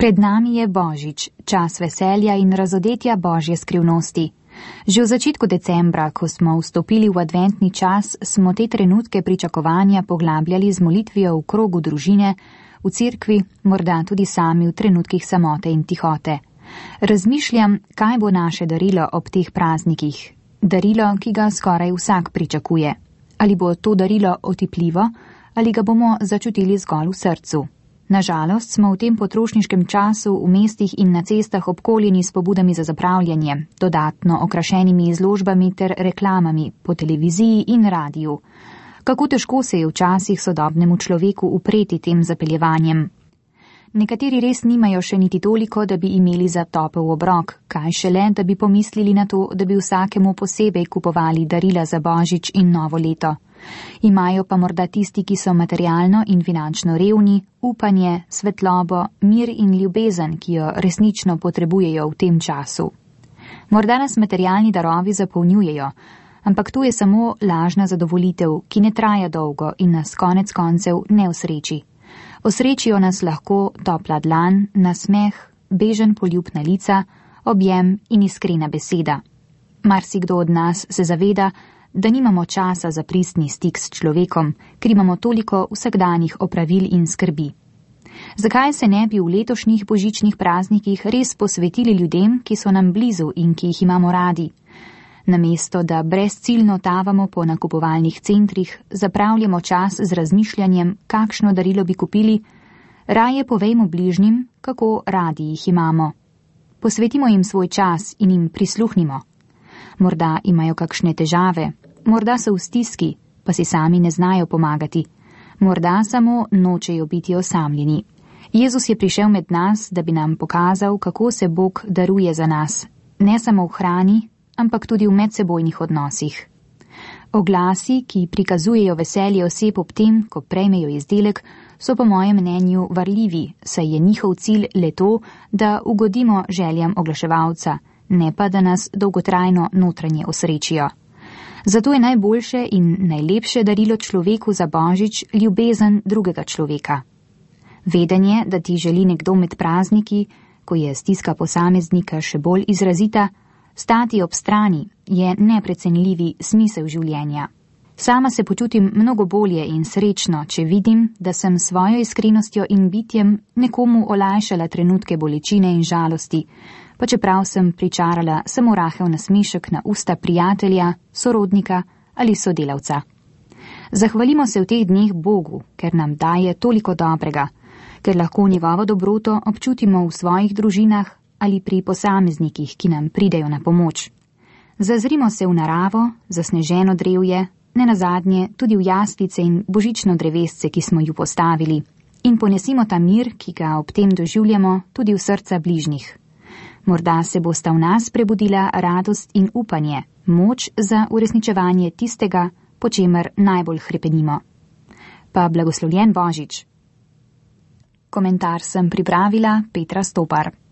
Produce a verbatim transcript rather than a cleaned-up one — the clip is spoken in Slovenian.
Pred nami je Božič, čas veselja in razodetja Božje skrivnosti. Že v začetku decembra, ko smo vstopili v adventni čas, smo te trenutke pričakovanja poglabljali z molitvijo v krogu družine, v cerkvi, morda tudi sami v trenutkih samote in tihote. Razmišljam, kaj bo naše darilo ob teh praznikih. Darilo, ki ga skoraj vsak pričakuje. Ali bo to darilo otipljivo, ali ga bomo začutili zgolj v srcu. Nažalost smo v tem potrošniškem času v mestih in na cestah obkoljeni s pobudami za zapravljanje, dodatno okrašenimi izložbami ter reklamami po televiziji in radiju. Kako težko se je včasih sodobnemu človeku upreti tem zapeljevanjem. Nekateri res nimajo še niti toliko, da bi imeli za topel obrok, kaj šele, da bi pomislili na to, da bi vsakemu posebej kupovali darila za Božič in novo leto. Imajo pa morda tisti, ki so materialno in finančno revni, upanje, svetlobo, mir in ljubezen, ki jo resnično potrebujejo v tem času. Morda nas materialni darovi zapolnjujejo, ampak to je samo lažna zadovolitev, ki ne traja dolgo in nas konec koncev ne osreči. Osrečijo nas lahko topla dlan, nasmeh, bežen poljub na lica, objem in iskrena beseda. Marsikdo od nas se zaveda, da nimamo časa za pristni stik s človekom, ker imamo toliko vsakdanjih opravil in skrbi. Zakaj se ne bi v letošnjih božičnih praznikih res posvetili ljudem, ki so nam blizu in ki jih imamo radi? Namesto, da brezciljno tavamo po nakupovalnih centrih, zapravljamo čas z razmišljanjem, kakšno darilo bi kupili, raje povejmo bližnjim, kako radi jih imamo. Posvetimo jim svoj čas in jim prisluhnimo. Morda imajo kakšne težave, morda so v stiski, pa si sami ne znajo pomagati. Morda samo nočejo biti osamljeni. Jezus je prišel med nas, da bi nam pokazal, kako se Bog daruje za nas, ne samo v hrani, ampak tudi v medsebojnih odnosih. Oglasi, ki prikazujejo veselje oseb ob tem, ko prejmejo izdelek, so po mojem mnenju varljivi, saj je njihov cilj le to, da ugodimo željam oglaševalca, ne pa da nas dolgotrajno notranje osrečijo. Zato je najboljše in najlepše darilo človeku za Božič ljubezen drugega človeka. Vedenje, da ti želi nekdo med prazniki, ko je stiska posameznika še bolj izrazita, stati ob strani, je neprecenljivi smisel življenja. Sama se počutim mnogo bolje in srečno, če vidim, da sem svojo iskrenostjo in bitjem nekomu olajšala trenutke bolečine in žalosti, pa čeprav sem pričarala samo rahel nasmešek na usta prijatelja, sorodnika ali sodelavca. Zahvalimo se v teh dneh Bogu, ker nam daje toliko dobrega, ker lahko njegovo dobroto občutimo v svojih družinah ali pri posameznikih, ki nam pridejo na pomoč. Zazrimo se v naravo, zasneženo drevje, nenazadnje tudi v jaslice in božično drevesce, ki smo ju postavili, in ponesimo ta mir, ki ga ob tem doživljamo, tudi v srca bližnjih. Morda se bosta v nas prebudila radost in upanje, moč za uresničevanje tistega, po čemer najbolj hrepenimo. Pa blagoslovljen Božič. Komentar sem pripravila Petra Stopar.